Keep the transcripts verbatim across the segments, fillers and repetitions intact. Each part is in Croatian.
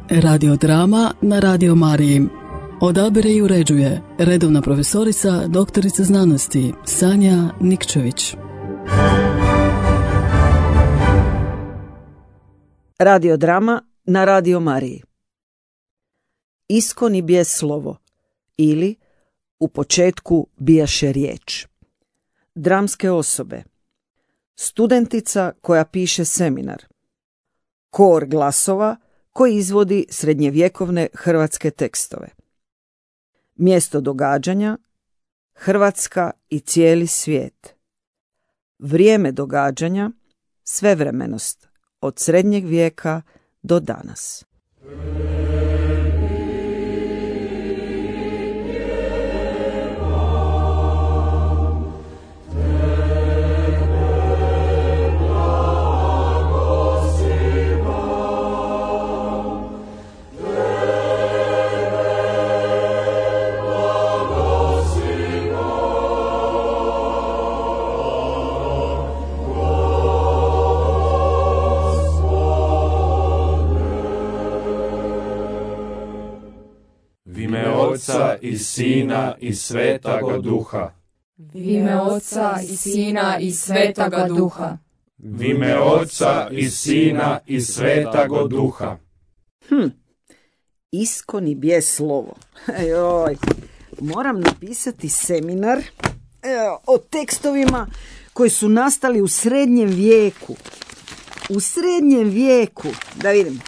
Radiodrama na Radio Mariji. Odabire i uređuje redovna profesorica, doktorica znanosti Sanja Nikčević. Radiodrama na Radio Mariji. Iskoni bijes slovo ili U početku bijaše riječ. Dramske osobe. Studentica koja piše seminar. Kor glasova koji izvodi srednjevjekovne hrvatske tekstove. Mjesto događanja Hrvatska i cijeli svijet. Vrijeme događanja svevremenost od srednjeg vijeka do danas. Oca i Sina i Svetoga Duha. Vime Oca i Sina i Svetoga Duha. Vime Oca i Sina i Svetoga Duha. Hm, iskoni bije slovo. Ejoj, moram napisati seminar ejo, o tekstovima koji su nastali u srednjem vijeku. U srednjem vijeku, da vidim.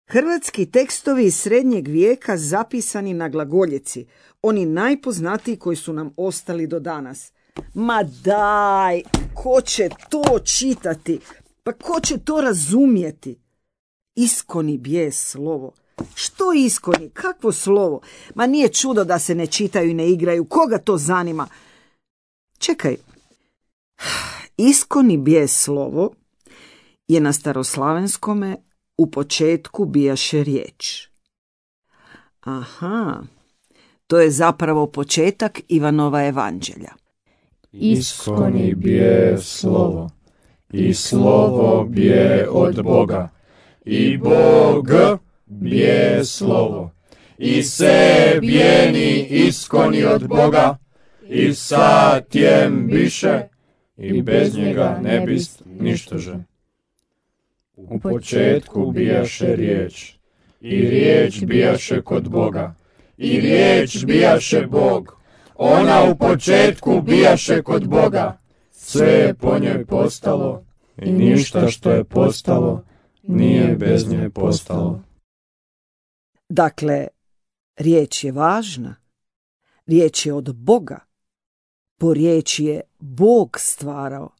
Hrvatski tekstovi iz srednjeg vijeka zapisani na glagoljici, oni najpoznatiji koji su nam ostali do danas. Ma daj, ko će to čitati? Pa ko će to razumjeti? Iskoni bije slovo. Što iskoni? Kakvo slovo? Ma nije čudo da se ne čitaju i ne igraju. Koga to zanima? Čekaj. Iskoni bije slovo je na staroslavenskome U početku bijaše riječ. Aha, to je zapravo početak Ivanova evanđelja. Iskoni bije slovo, i slovo bije od Boga, i Bog bije slovo, i se bijeni iskoni od Boga, i sa tjem biše, i bez njega ne bist ništože. U početku bijaše riječ, i riječ bijaše kod Boga, i riječ bijaše Bog. Ona u početku bijaše kod Boga, sve je po njoj postalo, i ništa što je postalo nije bez nje postalo. Dakle, riječ je važna, riječ je od Boga, po riječi je Bog stvarao.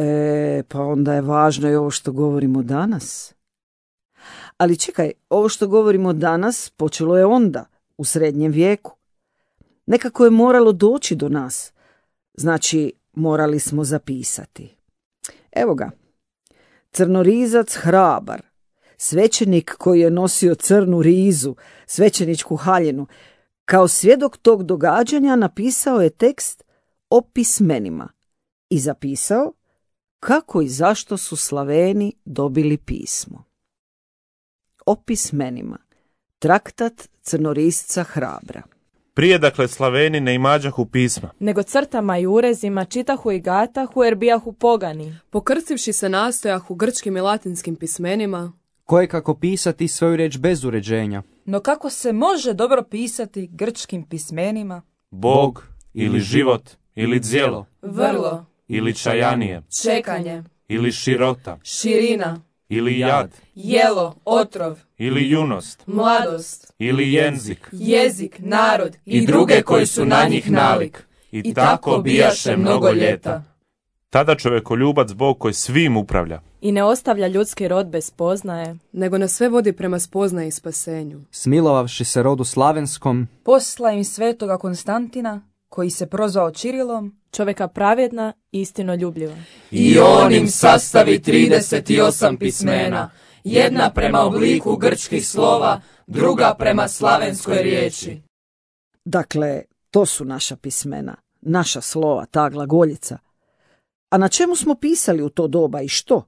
E, pa onda je važno i ovo što govorimo danas. Ali čekaj, ovo što govorimo danas počelo je onda, u srednjem vijeku. Nekako je moralo doći do nas. Znači, morali smo zapisati. Evo ga. Crnorizac hrabar, svećenik koji je nosio crnu rizu, svećeničku haljinu, kao svjedok tog događanja napisao je tekst o pismenima i zapisao kako i zašto su Slaveni dobili pismo. O pismenima. Traktat crnorisca hrabra. Prije, dakle, Slaveni ne imađahu pisma, Nego crtama i urezima čitahu i gatahu jer bijahu pogani. Pokrcivši se nastojahu grčkim i latinskim pismenima, koje kako pisati svoju riječ bez uređenja. No kako se može dobro pisati grčkim pismenima? Bog ili život ili djelo Vrlo, ili čajanije čekanje, ili širota širina, ili jad jelo, otrov, ili junost mladost, ili jenzik jezik, narod I druge koji su na njih nalik. i, i tako bijaše mnogo ljeta. Tada čovjekoljubac Bog koji svim upravlja I ne ostavlja ljudski rod bez spoznaje, nego nas sve vodi prema spoznaji i spasenju. Smilovavši se rodu slavenskom, Posla im svetoga Konstantina, koji se prozvao Čirilom, čovjeka pravjedna i istinoljubljiva. I on im sastavi trideset osam pismena, jedna prema obliku grčkih slova, druga prema slavenskoj riječi. Dakle, to su naša pismena, naša slova, ta glagoljica. A na čemu smo pisali u to doba i što?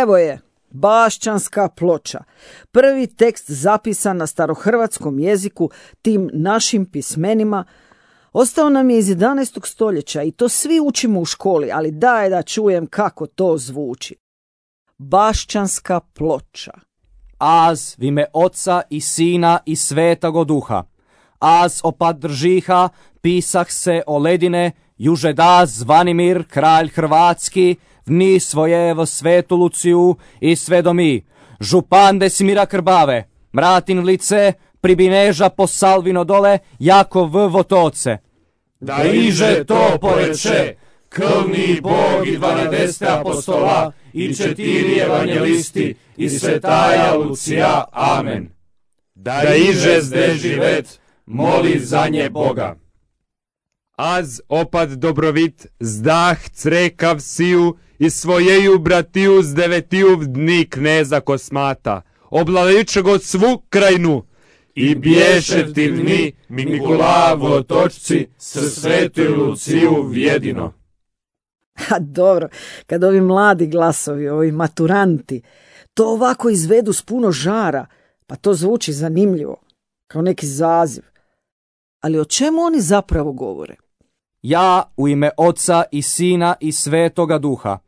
Evo je, Bašćanska ploča. Prvi tekst zapisan na starohrvatskom jeziku tim našim pismenima ostao nam je iz jedanaestog stoljeća i to svi učimo u školi, ali daj da čujem kako to zvuči. Bašćanska ploča. Az v ime Oca i Sina i Svetoga Duha. Az opad držiha, pisah se o ledine, juže da Zvanimir, kralj Hrvatski, vni svojevo Svetu Luciju i Svedomi, župan Desimira Krbave, mratin lice, pribineža po Salvino dole, jako v votoce. Da iže to poreče, krvni Bog i dvanaest apostola i četiri evanjelisti i svetaja Lucija. Amen. Da iže zde živet, moli za nje Boga. Az opad dobrovit, zdah crekav siju i svojeju bratiju z devetiju dni kneza Kosmata, oblavičego svu krajnu. I bješe ti dni Mikula v otočci s svetu Luciju vjedino. A dobro, kad ovi mladi glasovi, ovi maturanti, to ovako izvedu s puno žara, pa to zvuči zanimljivo, kao neki zaziv. Ali o čemu oni zapravo govore? Ja u ime Oca i Sina i Svetoga Duha.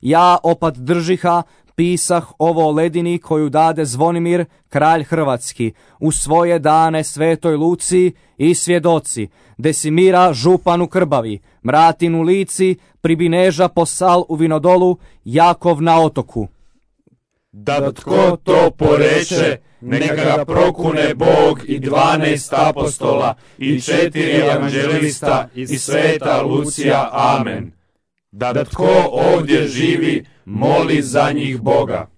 Ja opad držiha, pisah ovo o ledini koju dade Zvonimir, kralj Hrvatski, u svoje dane Svetoj Luciji i svjedoci, Desimira županu Krbavi, mratin u Lici, pribineža posal u Vinodolu, Jakov na otoku. Da tko to poreče, neka ga prokune Bog i dvanaest apostola i četiri evanđelista i sveta Lucija. Amen. Da tko ovdje živi, moli za njih Boga.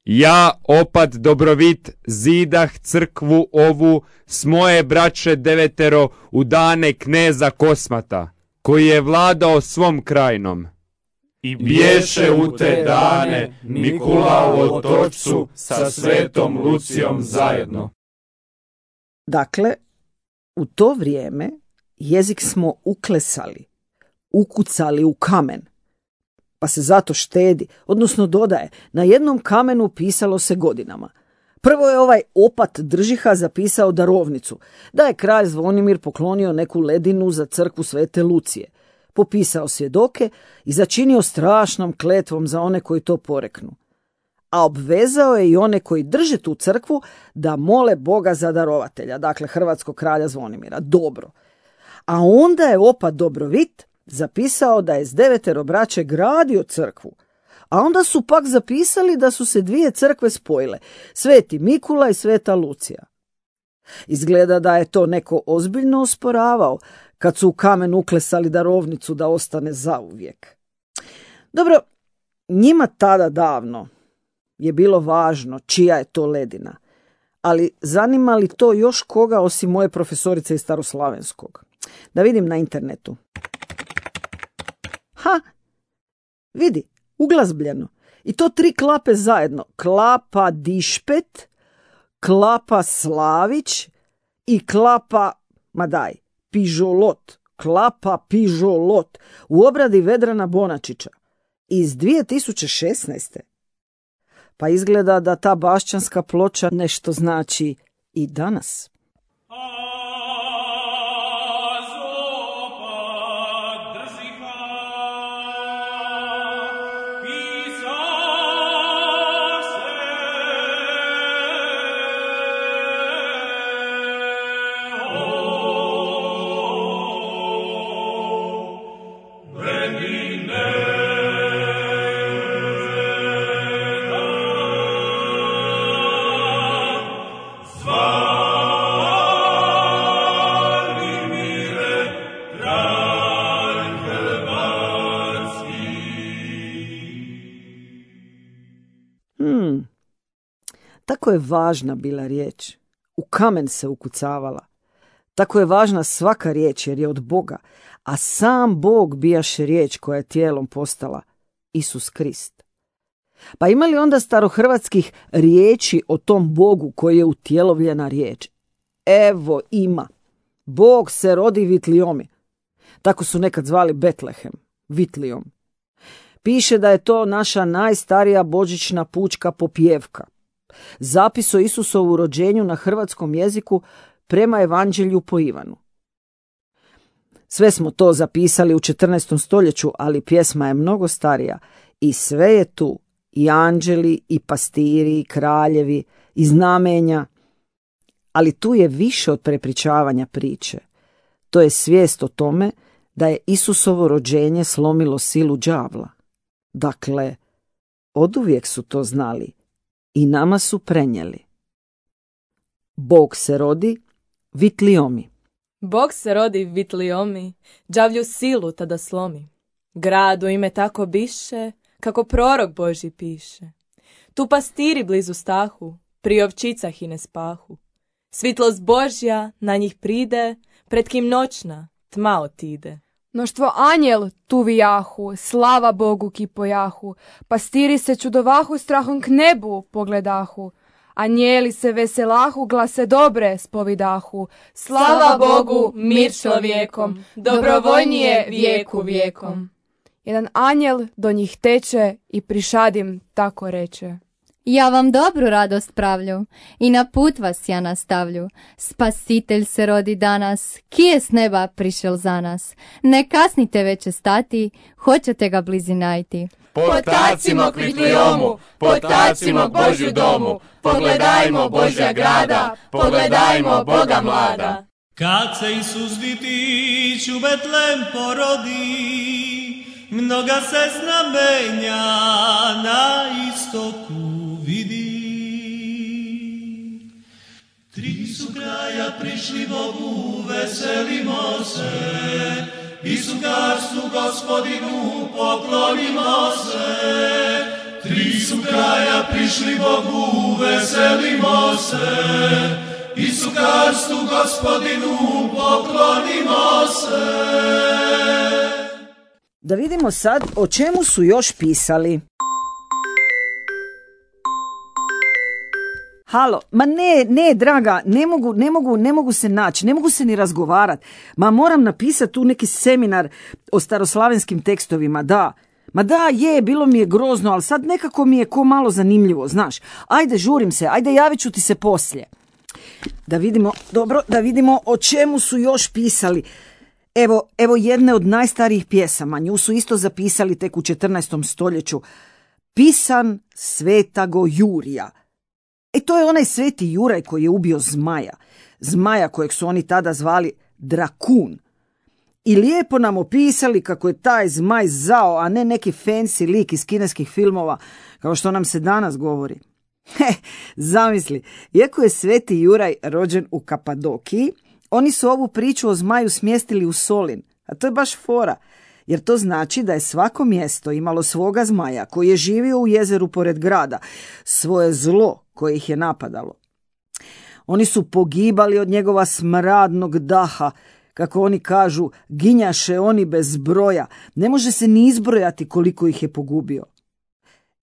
Ja opad dobrovit zidah crkvu ovu s moje braće devetero u dane kneza Kosmata, koji je vladao svom krajnom. I bješe u te dane Mikula u otočcu sa svetom Lucijom zajedno. Dakle, u to vrijeme jezik smo uklesali, ukucali u kamen, pa se zato štedi, odnosno dodaje, na jednom kamenu pisalo se godinama. Prvo je ovaj opat držiha zapisao darovnicu, da je kralj Zvonimir poklonio neku ledinu za crkvu Svete Lucije, popisao svjedoke i začinio strašnom kletvom za one koji to poreknu. A obvezao je i one koji drže tu crkvu da mole Boga za darovatelja, dakle hrvatskog kralja Zvonimira. Dobro. A onda je opat Dobrovit zapisao da je s devetero braće gradio crkvu, a onda su pak zapisali da su se dvije crkve spojile, Sveti Mikula i Sveta Lucija. Izgleda da je to neko ozbiljno osporavao kad su u kamen uklesali darovnicu da ostane zauvijek. Dobro, njima tada davno je bilo važno čija je to ledina, ali zanima li to još koga osim moje profesorice iz staroslavenskog? Da vidim na internetu. Ha, vidi, uglazbljeno. I to tri klape zajedno. Klapa Dišpet, klapa Slavić i klapa, ma daj, Pižolot. Klapa Pižolot u obradi Vedrana Bonačića iz dvije tisuće šesnaeste. Pa izgleda da ta bašćanska ploča nešto znači i danas. Hmm. Tako je važna bila riječ. U kamen se ukucavala. Tako je važna svaka riječ jer je od Boga, a sam Bog bijaše riječ koja je tijelom postala, Isus Krist. Pa ima li onda starohrvatskih riječi o tom Bogu koji je utjelovljena riječ? Evo ima. Bog se rodi Vitliomi. Tako su nekad zvali Betlehem, Vitlijom. Piše da je to naša najstarija božićna pučka popjevka. Zapis o Isusovu rođenju na hrvatskom jeziku prema Evanđelju po Ivanu. Sve smo to zapisali u četrnaestom stoljeću, ali pjesma je mnogo starija i sve je tu, i anđeli, i pastiri, i kraljevi, i znamenja, ali tu je više od prepričavanja priče. To je svijest o tome da je Isusovo rođenje slomilo silu đavla. Dakle, oduvijek su to znali i nama su prenijeli. Bog se rodi Vitliomi. Bog se rodi Vitliomi, đavlju silu tada slomi. Gradu ime tako biše, kako prorok Božji piše. Tu pastiri blizu stahu, pri ovčicah i ne spahu. Svitlost Božja na njih pride, pred kim noćna tma otide. Mnoštvo anjel tu vijahu, slava Bogu ki pojahu, pastiri se čudovahu, strahom k nebu pogledahu. Anjeli se veselahu, glase dobre spovidahu. Slava Bogu, mir čovjekom, dobrovoljnije vijeku vijekom. Jedan anjel do njih teče i prišadim tako reče. Ja vam dobru radost pravlju i na put vas ja nastavlju. Spasitelj se rodi danas, ki je s neba prišel za nas. Ne kasnite veće stati, hoćete ga blizi najti. Potacimo k Vitliomu, potacimo k Božju domu, pogledajmo Božja grada, pogledajmo Boga mlada. Kad se Isus ditić u Betlem porodi, mnoga se znamenja na istoku vidi. Tri su kraja prišli Bogu, veselimo se, Isu carstvu Gospodinu poklonimo se. Tri su kraja prišli Bogu, veselimo se, Isu carstvu Gospodinu poklonimo se. Da vidimo sad o čemu su još pisali. Halo, ma ne, ne, draga, ne mogu, ne mogu, ne mogu se naći, ne mogu se ni razgovarati. Ma moram napisati tu neki seminar o staroslavenskim tekstovima, da. Ma da, je, bilo mi je grozno, ali sad nekako mi je ko malo zanimljivo, znaš. Ajde, žurim se, ajde, javit ću ti se poslije. Da vidimo, dobro, da vidimo o čemu su još pisali. Evo, evo jedne od najstarijih pjesama, nju su isto zapisali tek u četrnaestom stoljeću. Pisan svetago Jurija. E to je onaj sveti Juraj koji je ubio zmaja. Zmaja kojeg su oni tada zvali Drakun. I lijepo nam opisali kako je taj zmaj zao, a ne neki fancy lik iz kineskih filmova, kao što nam se danas govori. He, zamisli, iako je sveti Juraj rođen u Kapadokiji, oni su ovu priču o zmaju smjestili u Solin, a to je baš fora, jer to znači da je svako mjesto imalo svoga zmaja koji je živio u jezeru pored grada, svoje zlo koje ih je napadalo. Oni su pogibali od njegova smradnog daha, kako oni kažu, ginjaše oni bez broja, ne može se ni izbrojati koliko ih je pogubio.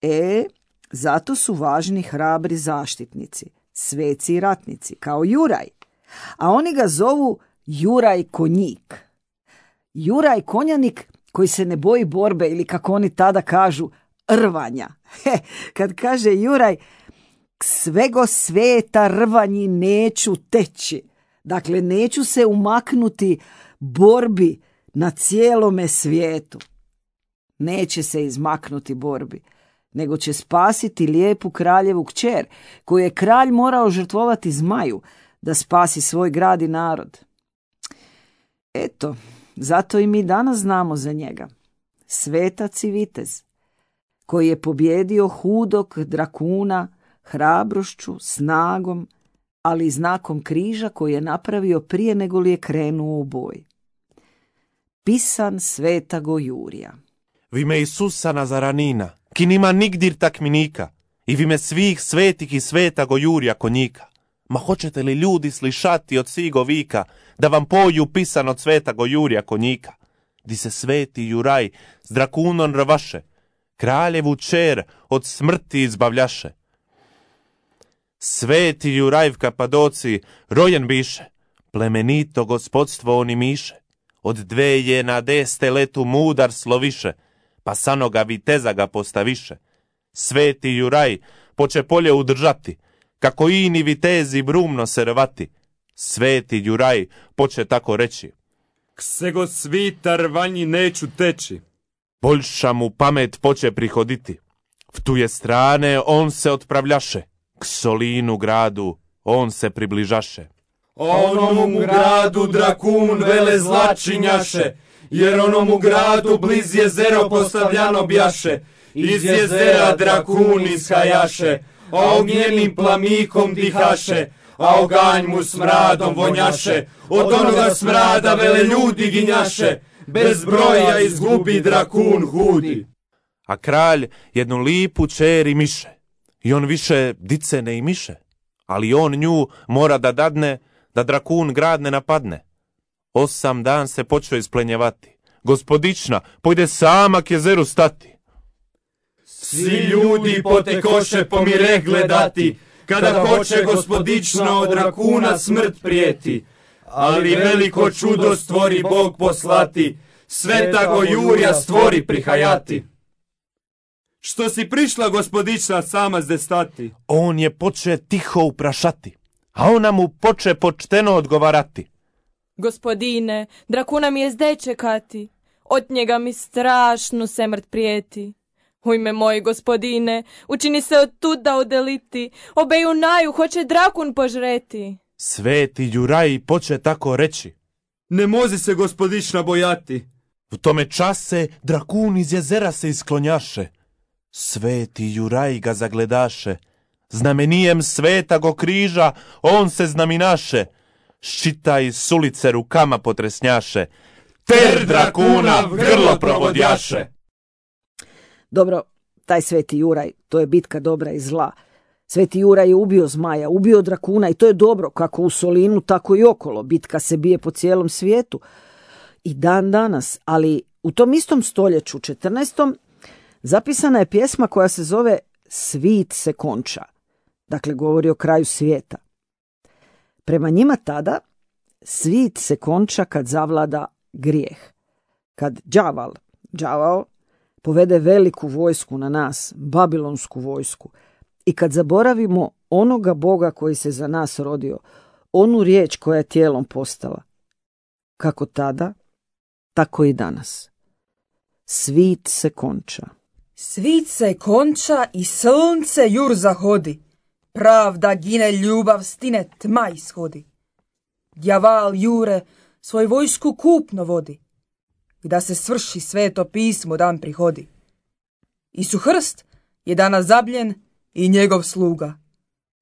E, zato su važni hrabri zaštitnici, sveci i ratnici, kao Juraj. A oni ga zovu Juraj Konjik. Juraj Konjanik koji se ne boji borbe ili kako oni tada kažu rvanja. He, kad kaže Juraj, k svego sveta rvanji neću teći. Dakle, neću se umaknuti borbi na cijelome svijetu. Neće se izmaknuti borbi, nego će spasiti lijepu kraljevu kćer, koju je kralj morao žrtvovati zmaju da spasi svoj grad i narod. Eto, zato i mi danas znamo za njega. Svetac i vitez, koji je pobjedio hudog Drakuna hrabrošću, snagom, ali i znakom križa koji je napravio prije nego li je krenuo u boj. Pisan svetago Jurija. V ime Isusa Nazaranina, ki nima nigdir takminika, i v ime svih svetih i svetago Jurija Konjika. Ma hoćete li ljudi slišati od sigo vika, da vam poju pisan od svetago Jurija Konjika, di se sveti Juraj s Drakunom rvaše, kraljevu čer od smrti izbavljaše. Sveti Juraj v Kapadoci rojen biše, plemenito gospodstvo on imiše, od dveje na deste letu mudar sloviše, pa sanoga viteza ga postaviše. Sveti Juraj poče polje udržati, kako ini vitezi brumno se rvati. Sveti Juraj poče tako reći: Kse go svitar vanji neću teći. Boljša mu pamet poče prihoditi. V tuje strane on se otpravljaše, k Solinu gradu on se približaše. Onomu gradu drakun vele zlačinjaše, jer onomu gradu bliz jezero postavljano bjaše. Iz jezera drakun ishajaše, a ognjenim plamikom dihaše, a oganj mu smradom vonjaše. Od onoga smrada vele ljudi ginjaše, bez broja izgubi drakun hudi. A kralj jednu lipu čeri miše, i on više dice ne imiše, ali on nju mora da dadne, da drakun grad ne napadne. Osam dan se počeo isplenjevati. Gospodična pojde sama k jezeru stati. Svi ljudi potekoše pomire gledati, kada hoće gospodično od drakuna smrt prijeti. Ali veliko čudo stvori Bog poslati, svetago Jurja stvori prihajati. Što si prišla gospodična sama zde stati? On je poče tiho uprašati, a ona mu poče počteno odgovarati. Gospodine, drakuna mi je zde čekati, od njega mi strašno semrt prijeti. U ime moji gospodine, učini se od tuda odeliti, obeju naju hoće drakun požreti. Sveti Juraj poče tako reći: Ne mozi se gospodična bojati. U tome čase drakun iz jezera se isklonjaše. Sveti Juraj ga zagledaše, znamenijem svetago križa on se znaminaše. Ščita iz sulice rukama potresnjaše, ter drakuna v grlo provodjaše. Dobro, taj Sveti Juraj, to je bitka dobra i zla. Sveti Juraj je ubio zmaja, ubio drakuna i to je dobro, kako u Solinu, tako i okolo. Bitka se bije po cijelom svijetu i dan danas, ali u tom istom stoljeću, četrnaestom, zapisana je pjesma koja se zove Svit se konča, dakle govori o kraju svijeta. Prema njima tada, svit se konča kad zavlada grijeh. Kad đaval, đavao, povede veliku vojsku na nas, babilonsku vojsku, i kad zaboravimo onoga Boga koji se za nas rodio, onu riječ koja je tijelom postala. Kako tada, tako i danas. Svit se konča. Svit se konča i sunce jur zahodi. Pravda gine, ljubav stine, tma ishodi. Djaval jure svoj vojsku kupno vodi, da se svrši sveto pismo dan prihodi. Isu Hrst je danas zabljen i njegov sluga.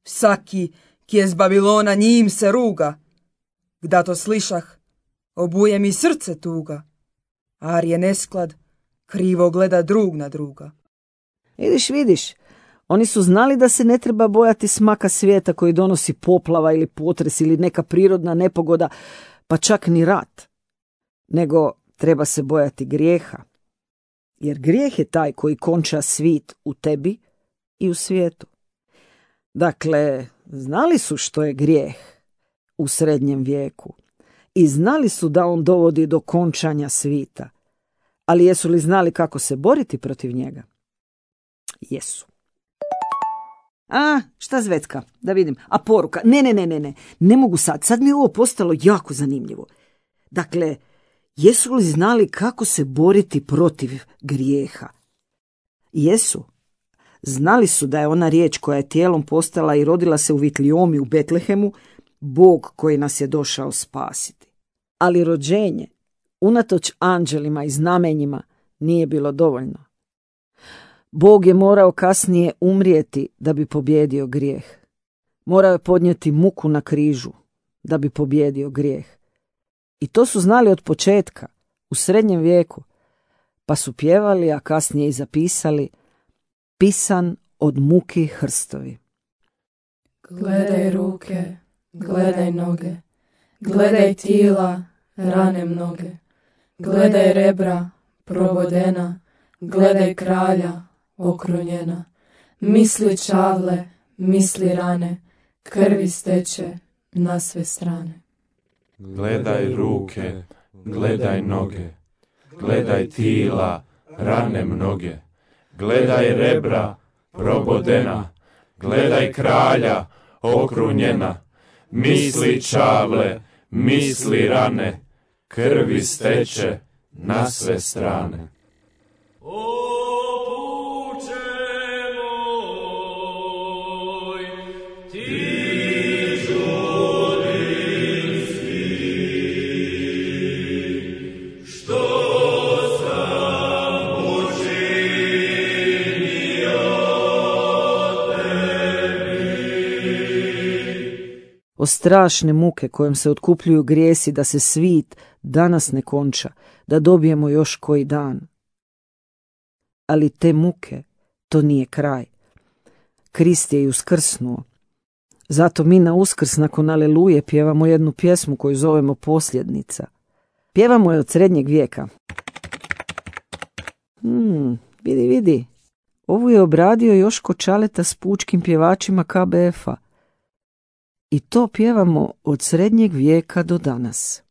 Vsaki ki je z Babilona njim se ruga. Gda to slišah, obuje mi srce tuga. Ar je nesklad, krivo gleda drug na druga. Vidiš, vidiš, oni su znali da se ne treba bojati smaka svijeta koji donosi poplava ili potres ili neka prirodna nepogoda, pa čak ni rat. Nego treba se bojati grijeha. Jer grijeh je taj koji konča svit u tebi i u svijetu. Dakle, znali su što je grijeh u srednjem vijeku i znali su da on dovodi do končanja svita. Ali jesu li znali kako se boriti protiv njega? Jesu. A, šta Zvetka? Da vidim. A poruka? Ne, ne, ne, ne, ne. Ne mogu sad. Sad mi je ovo postalo jako zanimljivo. Dakle, jesu li znali kako se boriti protiv grijeha? Jesu. Znali su da je ona riječ koja je tijelom postala i rodila se u Vitliomi u Betlehemu, Bog koji nas je došao spasiti. Ali rođenje, unatoč anđelima i znamenjima, nije bilo dovoljno. Bog je morao kasnije umrijeti da bi pobjedio grijeh. Morao je podnijeti muku na križu da bi pobjedio grijeh. I to su znali od početka, u srednjem vijeku, pa su pjevali, a kasnije i zapisali: pisan od muki hrstovi. Gledaj ruke, gledaj noge, gledaj tila, rane mnoge, gledaj rebra, probodena, gledaj kralja, okrunjena, misli čavle, misli rane, krvi steče na sve strane. Gledaj ruke, gledaj noge, gledaj tila, rane mnoge. Gledaj rebra probodena, gledaj kralja okrunjena. Misli čavle, misli rane, krvi steče na sve strane. O strašne muke kojom se otkupljuju grijesi da se svit danas ne konča, da dobijemo još koji dan. Ali te muke, to nije kraj. Krist je i uskrsnuo. Zato mi na Uskrs nakon Aleluje pjevamo jednu pjesmu koju zovemo Posljednica. Pjevamo je od srednjeg vijeka. Hmm, vidi, vidi. Ovu je obradio Joško Čaleta s pučkim pjevačima K B F-a. I to pjevamo od srednjeg vijeka do danas.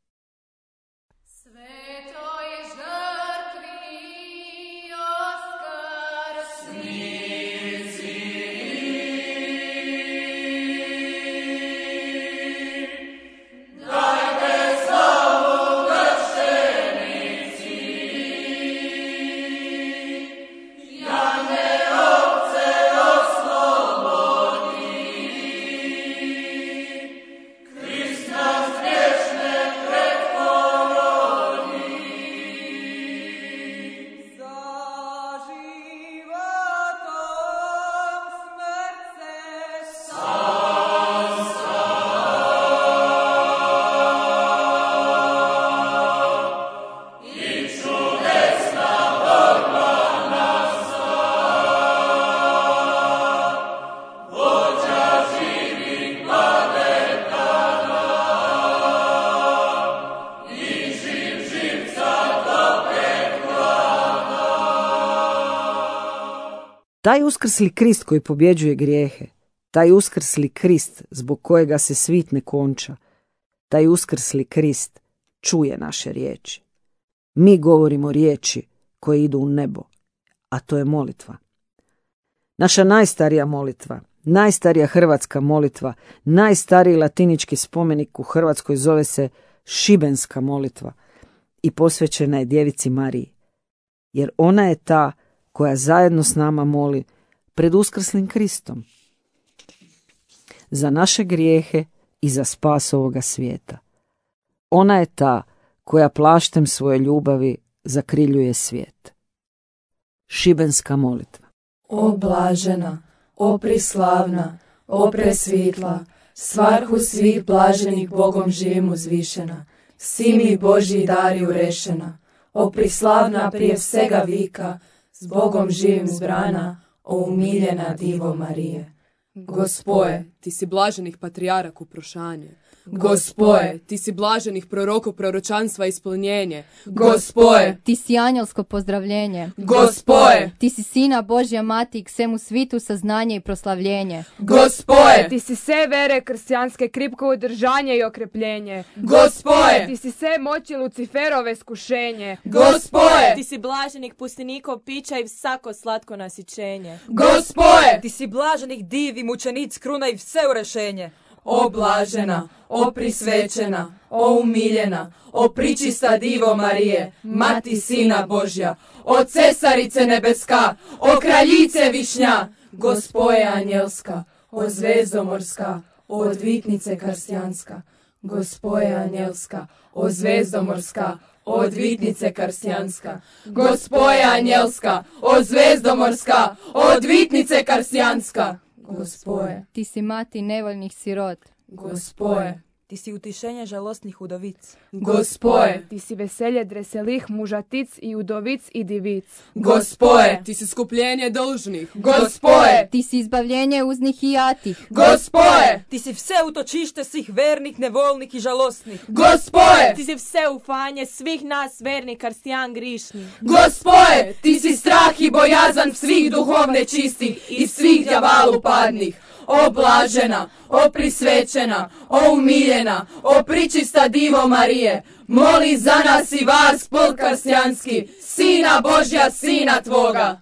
Taj uskrsli Krist koji pobjeđuje grijehe, taj uskrsli Krist zbog kojega se svit ne konča, taj uskrsli Krist čuje naše riječi. Mi govorimo riječi koje idu u nebo, a to je molitva. Naša najstarija molitva, najstarija hrvatska molitva, najstariji latinički spomenik u Hrvatskoj zove se Šibenska molitva i posvećena je Djevici Mariji, jer ona je ta koja zajedno s nama moli pred uskrslim Kristom za naše grijehe i za spas ovoga svijeta. Ona je ta koja plaštem svoje ljubavi zakriljuje svijet. Šibenska molitva. O blažena, o prislavna, o presvitla, svarhu svih blaženih Bogom živim uzvišena, si mi Božji dari urešena, o prislavna prije svega vika, s Bogom živim zbrana, o umiljena Divo Marije. Gospoje, ti si blaženih patrijarak uprošanje. Gospoje, ti si blaženih prorokov proročanstva ispunjenje. Gospoje, ti si anjelsko pozdravljenje. Gospoje, ti si sina Božja mati i k svemu svitu saznanje i proslavljenje. Gospoje, ti si sve vere kršćanske kripko udržanje i okrepljenje. Gospoje, ti si sve moći Luciferove skušenje. Gospoje, ti si blaženih pustinikov pića i vsako slatko nasićenje. Gospoje, ti si blaženih divi mučenic kruna i sve urešenje. O blažena, o prisvećena, o umiljena, o pričista Divo Marije, Mati Sina Božja, o cesarice nebeska, o kraljice višnja, Gospoje anjelska, o zvezdомorska, o odvitnice krstijanska, Gospoje anjelska, o zvezdоморska, o odvitnice krstijanska, Gospoje anjelska, o zvezdоморska, o odvitnice krstijanska. Gospoje, ti si mati nevoljnih sirot. Gospoje, ti si utišenje žalostnih udovic. Gospoje, ti si veselje dreselih mužatic i udovic i divic. Gospoje, ti si skupljenje dolžnih. Gospoje, ti si izbavljenje uznih i jatih. Gospoje, ti si vse utočište svih vernih, nevolnih i žalostnih. Gospoje, ti si vse ufanje svih nas vernih krstijan grišnih. Gospoje, ti si strah i bojazan svih duhovne čistih i svih djavalu padnih. o blažena, o prisvećena, o umiljena, o pričista Divo Marije, moli za nas i vas, polkarsjanski, Sina Božja, Sina Tvoga.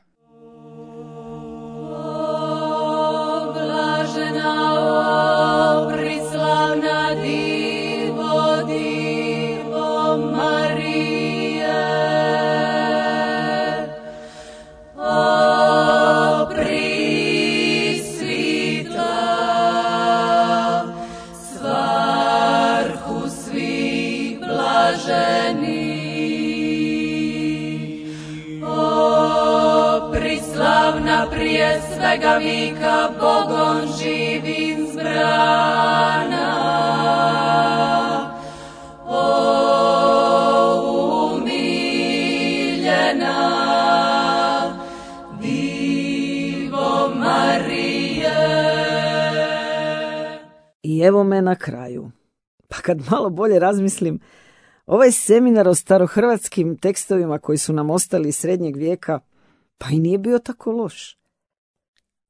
O blažena, o prislavna Divo, Divo Marije, o prisvita, svrhu svih blaženih, o prislavna prije svega vika Bogom živim zbrana, o umiljena Divo Marije. I evo me na kraju. Pa kad malo bolje razmislim, ovaj seminar o starohrvatskim tekstovima koji su nam ostali iz srednjeg vijeka, pa i nije bio tako loš.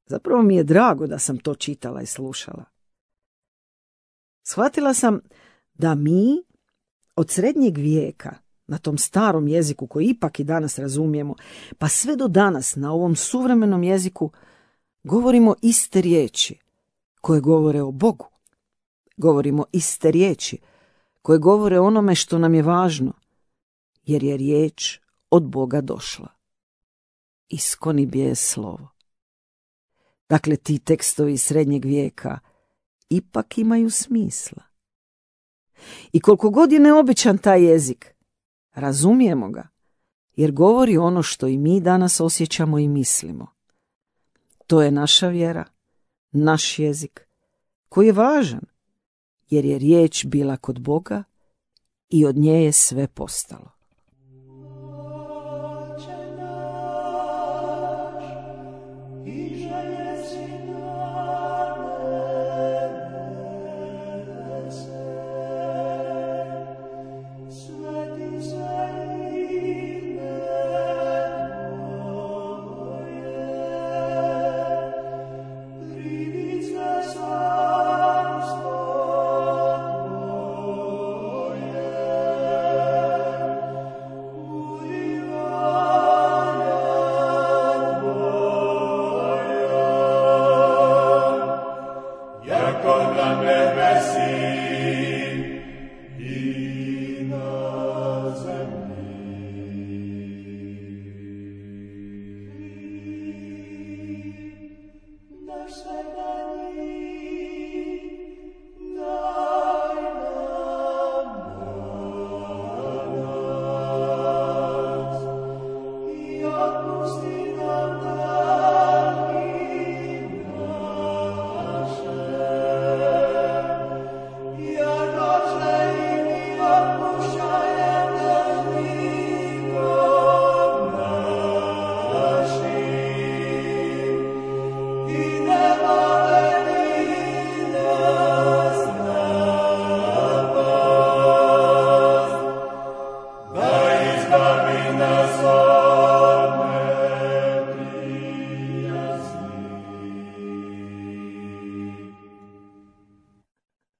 Zapravo mi je drago da sam to čitala i slušala. Shvatila sam da mi od srednjeg vijeka, na tom starom jeziku koji ipak i danas razumijemo, pa sve do danas na ovom suvremenom jeziku govorimo iste riječi koje govore o Bogu. Govorimo iste riječi koje govore o onome što nam je važno, jer je riječ od Boga došla. Iskoni bije slovo. Dakle, ti tekstovi srednjeg vijeka ipak imaju smisla. I koliko god je neobičan taj jezik, razumijemo ga, jer govori ono što i mi danas osjećamo i mislimo. To je naša vjera, naš jezik, koji je važan, jer je riječ bila kod Boga i od nje je sve postalo.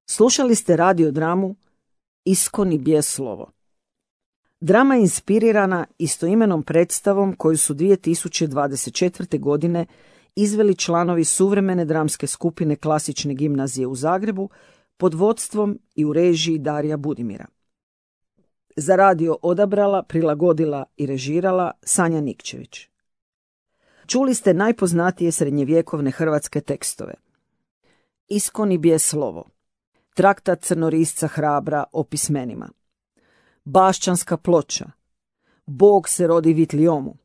Slušali ste radiodramu Iskoni bije slovo. Drama je inspirirana istoimenom predstavom koju su dvije tisuće dvadeset četvrte. godine izveli članovi suvremene dramske skupine Klasične gimnazije u Zagrebu pod vodstvom i u režiji Darija Budimira. Za radio odabrala, prilagodila i režirala Sanja Nikčević. Čuli ste najpoznatije srednjevjekovne hrvatske tekstove. Iskoni bije slovo, traktat crnorisca Hrabra o pismenima, Bašćanska ploča, Bog se rodi Vitliomu,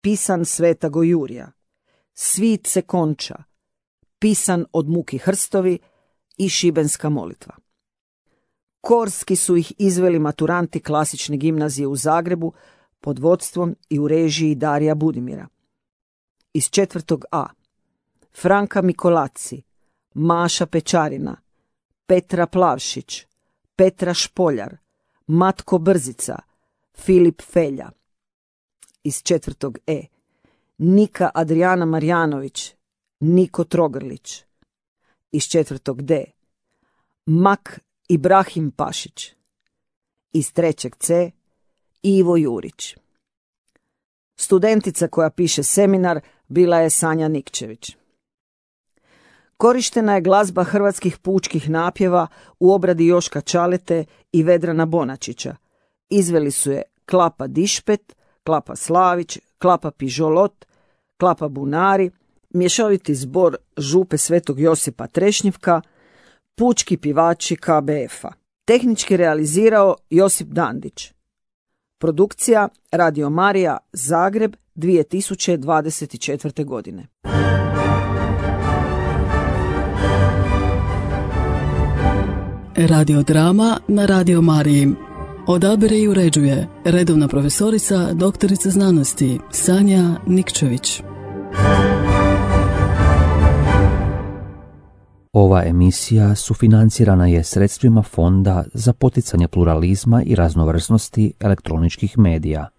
pisan Svetago Jurija, Svit se konča, pisan od Muki Hrstovi i Šibenska molitva. Korski su ih izveli maturanti Klasične gimnazije u Zagrebu pod vodstvom i u režiji Darija Budimira. Iz četvrtog A Franka Mikolaci, Maša Pečarina, Petra Plavšić, Petra Špoljar, Matko Brzica, Filip Felja. Iz četvrtog E Nika Adrijana Marjanović, Niko Trogrlić, iz četvrtog D, Mak Ibrahim Pašić. Iz trećeg C, Ivo Jurić. Studentica koja piše seminar bila je Sanja Nikčević. Korištena je glazba hrvatskih pučkih napjeva u obradi Joška Čalete i Vedrana Bonačića. Izveli su je Klapa Dišpet, Klapa Slavić, Klapa Pižolot, Klapa Bunari, mješoviti zbor Župe Svetog Josipa Trešnjivka, pučki pivači K B F-a. Tehnički realizirao Josip Dandić. Produkcija Radio Marija Zagreb dvije tisuće dvadeset četvrte. godine. Radiodrama na Radio Mariji. Odabire i uređuje redovna profesorica, doktorica znanosti Sanja Nikčević. Ova emisija sufinancirana je sredstvima Fonda za poticanje pluralizma i raznovrsnosti elektroničkih medija.